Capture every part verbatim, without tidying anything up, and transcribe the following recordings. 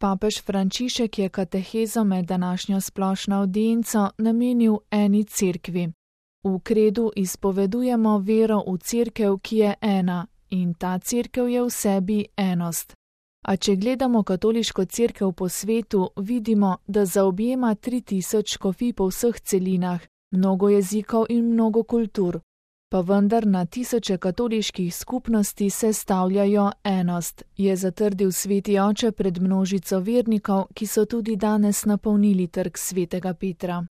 Papež Frančišek je katehezo med današnjo splošno avdienco namenil eni cerkvi. V kredu izpovedujemo vero v cerkev, ki je ena, in ta cerkev je v sebi enost. A če gledamo katoliško cerkev po svetu, vidimo, da zaobjema tri tisoč škofij po vseh celinah, mnogo jezikov in mnogo kultur. Pa vendar na tisoče katoliških skupnosti sestavljajo enost, je zatrdil sveti oče pred množico vernikov, ki so tudi danes napolnili trg svetega Petra.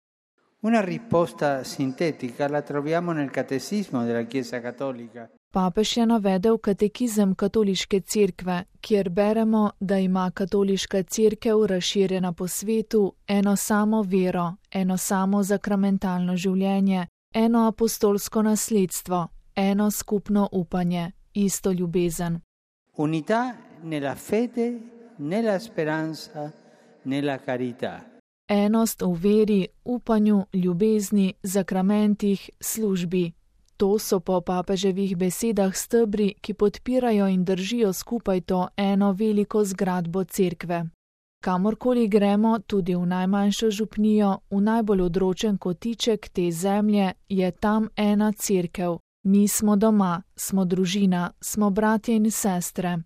Una risposta sintetica la troviamo nel catechismo della Chiesa Cattolica. Papež je navedel katekizem katoliške cerkve, kjer beremo, da ima katoliška cerkev razširjena po svetu eno samo vero, eno samo sakramentalno življenje, eno apostolsko nasledstvo, eno skupno upanje, isto ljubezen. Unità nella fede, nella speranza, nella carità. Enost v veri, upanju, ljubezni, sakramentih, službi. To so po papeževih besedah stebri, ki podpirajo in držijo skupaj to eno veliko zgradbo cerkve. Kamorkoli gremo, tudi v najmanjšo župnijo, v najbolj odročen kotiček te zemlje, je tam ena cerkev. Mi smo doma, smo družina, smo bratje in sestre.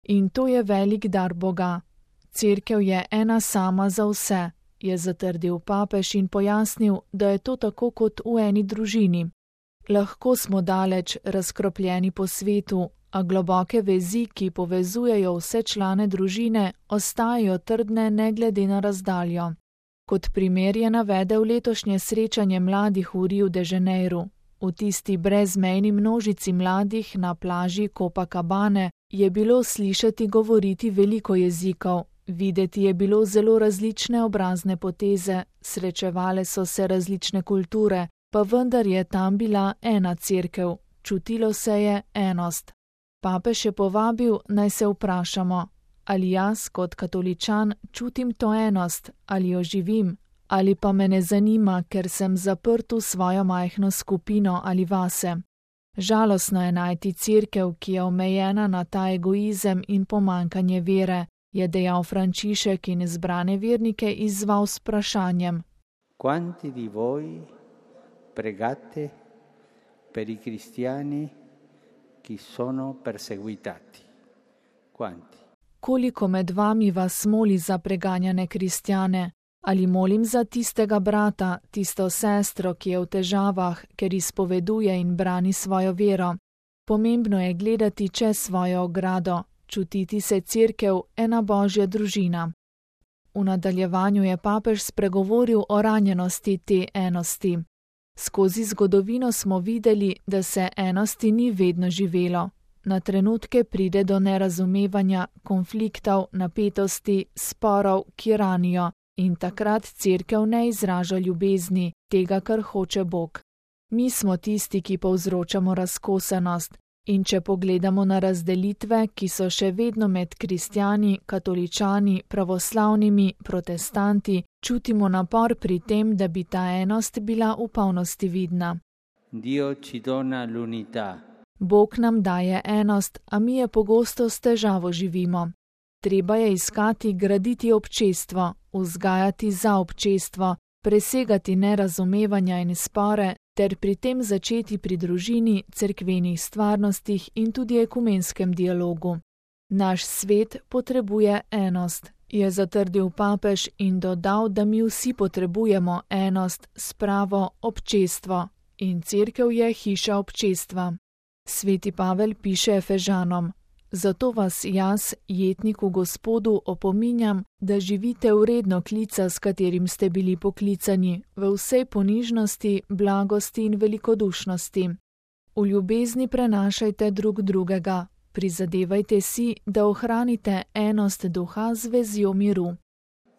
In to je velik dar Boga. Cerkev je ena sama za vse, je zatrdil papež in pojasnil, da je to tako kot v eni družini. Lahko smo daleč razkropljeni po svetu, a globoke vezi, ki povezujejo vse člane družine, ostajajo trdne ne glede na razdaljo. Kot primer je navedel letošnje srečanje mladih v Rio de Janeiro. V tisti brezmejni množici mladih na plaži Copacabane je bilo slišati govoriti veliko jezikov, videti je bilo zelo različne obrazne poteze, srečevale so se različne kulture, pa vendar je tam bila ena cerkev, čutilo se je enost. Papež je povabil, naj se vprašamo, ali jaz kot katoličan čutim to enost, ali jo živim, ali pa me ne zanima, ker sem zaprt v svojo majhno skupino ali vase. Žalostno je najti cerkev, ki je omejena na ta egoizem in pomankanje vere, je dejal Frančišek in izbrane vernike izzval s vprašanjem. Quanti di voi pregate per i cristiani ki sono perseguitati? Quanti? Koliko med vami vas moli za preganjane kristjane? Ali molim za tistega brata, tisto sestro, ki je v težavah, ker izpoveduje in brani svojo vero? Pomembno je gledati čez svojo ogrado, čutiti se cerkev, ena božja družina. V nadaljevanju je papež spregovoril o ranjenosti te enosti. Skozi zgodovino smo videli, da se enosti ni vedno živelo. Na trenutke pride do nerazumevanja, konfliktov, napetosti, sporov, ki ranijo, in takrat cerkev ne izraža ljubezni, tega, kar hoče Bog. Mi smo tisti, ki povzročamo razkosenost, in če pogledamo na razdelitve, ki so še vedno med kristjani, katoličani, pravoslavnimi, protestanti, čutimo napor pri tem, da bi ta enost bila v polnosti vidna. Dio ci dona l'unità. Bog nam daje enost, a mi je pogosto s težavo živimo. Treba je iskati, graditi občestvo, vzgajati za občestvo, presegati nerazumevanja in spore, ter pri tem začeti pri družini, cerkvenih stvarnostih in tudi ekumenskem dialogu. Naš svet potrebuje enost, je zatrdil papež in dodal, da mi vsi potrebujemo enost, spravo, občestvo, in cerkev je hiša občestva. Sveti Pavel piše Efežanom: Zato vas jaz, jetnik v Gospodu, opominjam, da živite vredno klica, s katerim ste bili poklicani, v vsej ponižnosti, blagosti in velikodušnosti. V ljubezni prenašajte drug drugega, prizadevajte si, da ohranite enost duha z vezjo miru.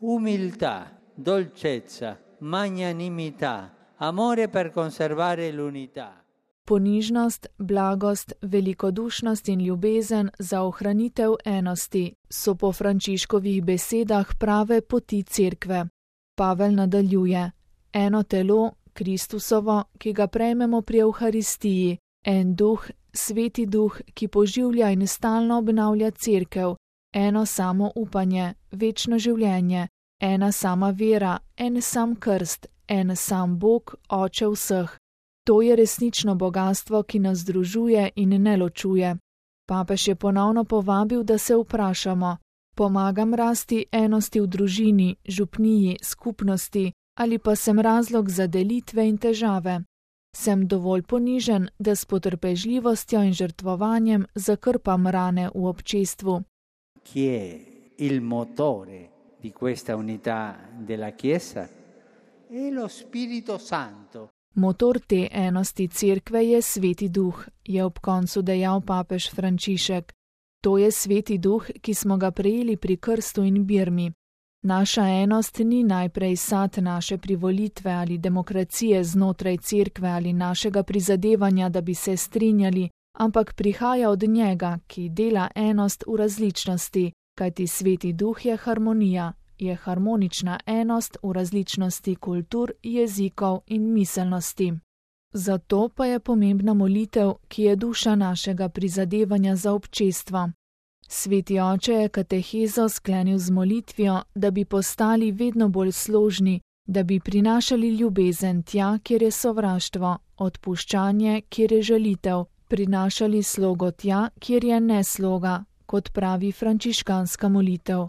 Umiltà, dolcezza, magnanimità, amore per conservare l'unità. Ponižnost, blagost, velikodušnost in ljubezen za ohranitev enosti so po Frančiškovih besedah prave poti cerkve. Pavel nadaljuje: eno telo, Kristusovo, ki ga prejmemo pri Evharistiji, en duh, sveti duh, ki poživlja in stalno obnavlja cerkev, eno samo upanje, večno življenje, ena sama vera, en sam krst, en sam Bog, Oče vseh. To je resnično bogastvo, ki nas združuje in ne ločuje. Papež je ponovno povabil, da se vprašamo: pomagam rasti enosti v družini, župniji, skupnosti, ali pa sem razlog za delitve in težave? Sem dovolj ponižen, da s potrpežljivostjo in žrtvovanjem zakrpam rane v občestvu? Chi è il motore di questa unità della Chiesa? È lo Spirito Santo. Motor te enosti cerkve je Sveti Duh, je ob koncu dejal papež Frančišek. To je Sveti Duh, ki smo ga prejeli pri krstu in birmi. Naša enost ni najprej sad naše privolitve ali demokracije znotraj cerkve ali našega prizadevanja, da bi se strinjali, ampak prihaja od njega, ki dela enost v različnosti, kajti Sveti Duh je harmonija, je harmonična enost v različnosti kultur, jezikov in miselnosti. Zato pa je pomembna molitev, ki je duša našega prizadevanja za občestvo. Sveti oče je katehezo sklenil z molitvijo, da bi postali vedno bolj složni, da bi prinašali ljubezen tja, kjer je sovraštvo, odpuščanje, kjer je žalitev, prinašali slogo tja, kjer je nesloga, kot pravi frančiškanska molitev.